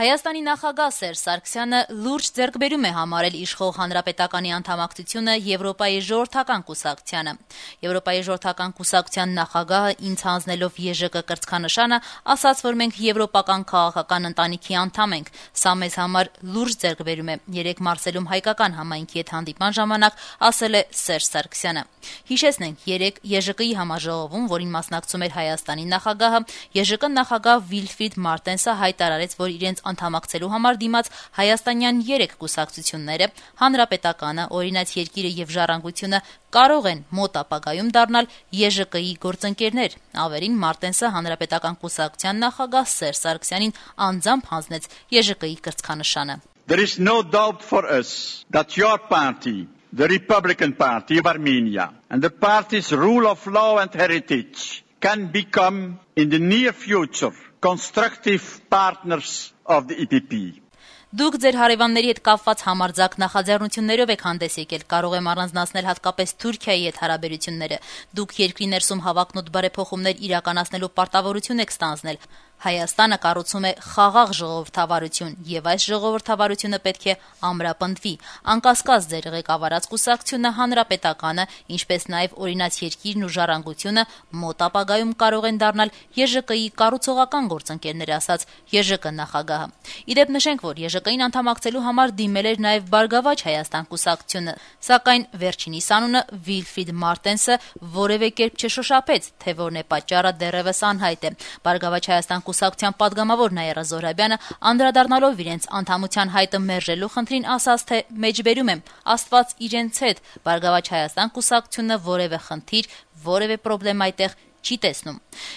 Հայաստանի նախագահ Սերժ Սարգսյանը լուրջ ձեռքբերում է համարել իշխող հանրապետականի անդամակցությունը Եվրոպայի ժողովրդական կուսակցությանը։ Եվրոպայի ժողովրդական կուսակցության նախագահը ինձ հանձնելով ԵԺԿ կրծքանշանը ասաց, որ մենք եվրոպական քաղաքական ընտանիքի անդամ ենք։ Սա մեզ համար լուրջ ձեռքբերում է, երեկ Մարսելում հայկական համայնքի հետ հանդիպման ժամանակ ասել է Սերժ Սարգսյանը։ Հիշեցնենք, երեկ ԵԺԿ-ի համաժողովում, որին մասնակցում էր Հայաստանի նախագահը, ԵԺԿ նախագահ Վիլֆրիդ Մարտենսը հայտարարեց, որ իրենց անդամակցելու համար դիմաց հայաստանյան 3 կուսակցությունները, Հանրապետականը, Օրինաց երկիրը եւ Ժառանգությունը կարող են մոտ ապագայում դառնալ ԵԺԿ-ի գործընկերներ։ Ավերին Մարտենսը Հանրապետական կուսակցության նախագահ Սերժ Սարգսյանին անձամբ հանձնեց ԵԺԿ-ի կրծքանշանը։ There is no doubt for us that your party, the Republican Party of Armenia, and the party's rule of law and heritage can become, in the near future, constructive partners of the EPP. Դուք ձեր հարևանների հետ կապված համարձակ նախաձեռնություններով եք հանդես եկել, կարող եմ առանձնացնել հատկապես Թուրքիայի հետ հարաբերությունները։ Դուք երկրի ներսում հավակնոտ բարեփոխումներ իրականացնելու պարտավորություն եք ստանձնել։ Հայաստանը կառուցում է խաղաղ ժողովրդավարություն, եւ այս ժողովրդավարությունը պետք է ամրապնդվի։ Անկասկած ձեր ղեկավարած կուսակցությունը Հանրապետականը, ինչպես նաեւ Օրինաց երկիրն ու Ժառանգությունը մոտ ապագայում կարող են դառնալ ԵԺԿ-ի կառուցողական գործընկերներ, ասաց ԵԺԿ նախագահը։ Իդեպ նշենք, որ ԵԺԿ-ին անդամակցելու համար դիմել էր նաեւ Բարգավաճ Հայաստան կուսակցությունը, սակայն վերջինիս անունը Վիլֆրիդ Մարտենսը որևէ կերպ չշոշափեց, թե որն է պատճառը դեռևս անհայտ է։ Բարգավաճ Հայաստան կուսակցության падգամավոր Նաիրա Զոհրաբյանը անդրադառնալով իրենց անդամության հայտը մերժելու խնդրին ասաց, թե մեջբերում եմ, Աստված իրենց հետ, Բարգավաճ Հայաստան կուսակցությունը որևէ խնդիր, որևէ պրոբլեմ այդտեղ չի տեսնում։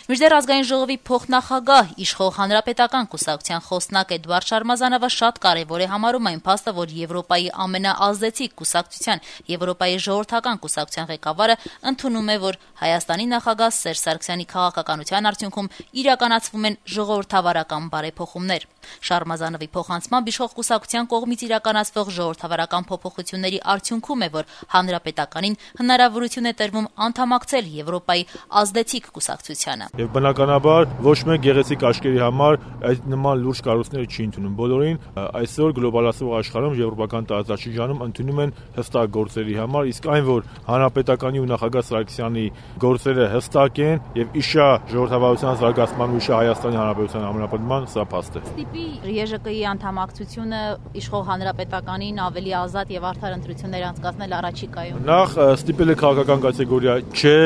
Մինչդեռ ազգային ժողովի փոխնախագահ իշխող հանրապետական կուսակցության խոսնակ Էդվարդ Շարմազանովը շատ կարևոր է համարում այն փաստը, որ Եվրոպայի ամենաազդեցիկ կուսակցության, Եվրոպայի ժողովրդական կուսակցության ղեկավարը ընդունում է, որ Հայաստանի նախագահ Սերժ Սարգսյանի քաղաքականության արդյունքում իրականացվում են ժողովրդավարական բարեփոխումներ։ Շարմազանովի փոխանցմամբ իշխող կուսակցության կողմից իրականացվող ժողովրդավարական փոփոխությունների արդյունքում է, որ հանրապետականին հնարավորություն է տրվում անդամակցել Եվրոպայի ազդեցիկ կուսակցությանը։ Եվ բնականաբար ոչ մեկ գեղեցիկ աչքերի համար այդ նման լուրջ կառույցները չի ընդունում։ Բոլորին այսօր գլոբալացող աշխարհում եվրոպական տարածաշրջանում ընդունում են հստակ գործերի համար, իսկ այն, որ հանրապետականի ու նախագահ Սարգսյանի գործերը հստակ են եւ իշա ժողովրդավարության զարգացման ու իշա Հայաստանի Հանրապետության ամրապնդման, սա փաստ է։ Ստիպի ԵԺԿ-ի անդամակցությունը իշխող հանրապետականին ավելի ազատ եւ արդար ընտրություններ անցկացնել առաջիկայում։ Նախ ստիպել է քաղաքական կատեգորիա չէ,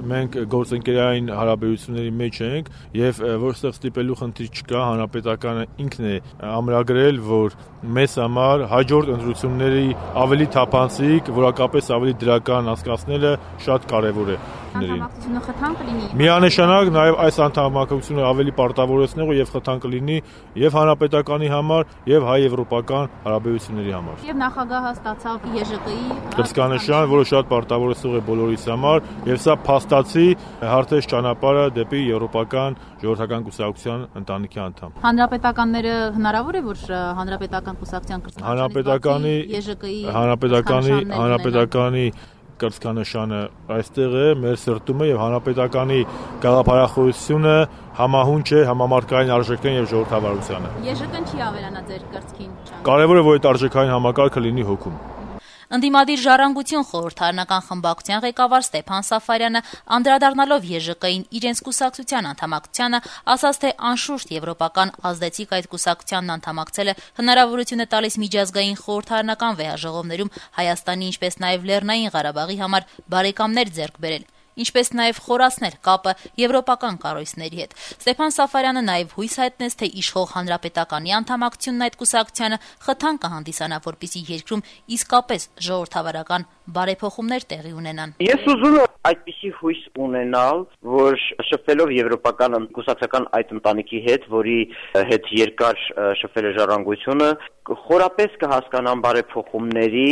մենք գործընկերային հարաբերությունների մեջ ենք եւ որտեղ ստիպելու խնդիր չկա, հանրապետականը ինքն է ամրագրել, որ մեզ համար հաջորդ ընտրությունների ավելի թափանցիկ, որակապես ավելի դրական անցկացնելը շատ կարեւոր է։ Անդամակցությունը խթան կլինի։ Միանշանակ նաեւ այս անդամակցությունը ավելի պարտավորեցնող եւ խթան կլինի եւ հանրապետականի համար եւ հայ-եվրոպական հարաբերությունների համար։ Եվ նախագահը ստացավ ԵԺԿ-ի կրծքանշան, որը շատ պարտավորեցող է բոլորիս համար եւ սա փաստացի հարթեց ճանապարհը դեպի եվրոպական ժողովրդական կուսակցության ընտանիքի անդամ։ Հանրապետականները հնարավոր է, որ հանրապետական կուսակցության կրծքանշանի հանրապետականի կրծքանշանը այստեղ է, մեր սրտում է եւ հանրապետականի գաղափարախոսությունը համահունչ է համամարտկային արժեքներին եւ ժողովրդավարությանը։ ԵԺԿ-ն չի ավելանա ձեր կրծքին։ Կարևոր է, որ այդ արժեքային համակարգը լինի հոգում։ Ընդդիմադիր Ժառանգություն խորհրդարանական խմբակցության ղեկավար Ստեփան Սաֆարյանը անդրադառնալով ԵԺԿ-ին իրենց կուսակցության անդամակցությանը ասաց, թե անշուշտ եվրոպական ազդեցիկ այդ կուսակցությանն անդամակցելը հնարավորություն է տալիս միջազգային խորհրդարանական վեհաժողովներում Հայաստանի, ինչպես նաև Լեռնային Ղարաբաղի համար բարեկամներ ձեռք բերել, ինչպես նաև խորացնել կապը եվրոպական կառույցների հետ։ Ստեփան Սաֆարյանը նաև հույս հայտնեց, թե իշխող հանրապետականի անդամակցությունն այդ կուսակցությանը խթան կհանդիսանա, որպեսզի երկրում իսկապես ժողովրդավարական բարեփոխումներ տեղի ունենան։ Ես ուզում եմ այդպիսի հույս ունենալ, որ շփվելով եվրոպական կուսակցական այդ ընտանիքի հետ, որի հետ երկար շփվել է Ժառանգությունը, խորապես կհասկանան բարեփոխումների,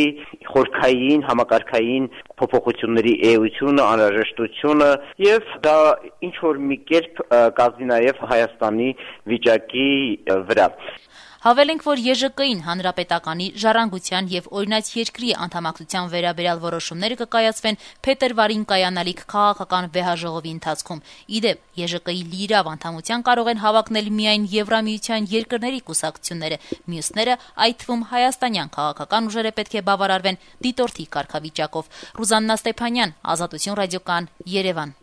խորքային, համակարգային փոփոխությունների էությունը, անհրաժեշտությունը եւ դա ինչ որ մի կերպ կազմի նաեւ Հայաստանի վիճակի վրա։ Հավելենք, որ ԵԺԿ-ին հանրապետականի, ժառանգության եւ օրինաց երկրի անդամակցության վերաբերյալ որոշումները կկայացվեն փետրվարին կայանալիք քաղաքական վեհաժողովի ընթացքում։ Իդեպ, ԵԺԿ-ի լիիրավ անդամության կարող են հավակնել միայն Եվրամիության երկրների կուսակցությունները, մյուսները, այդ թվում հայաստանյան քաղաքական ուժերը պետք է բավարարվեն դիտորդի կարգավիճակով։ Ռուզաննա Ստեփանյան, Ազատություն ռադիոկայան, Երևան։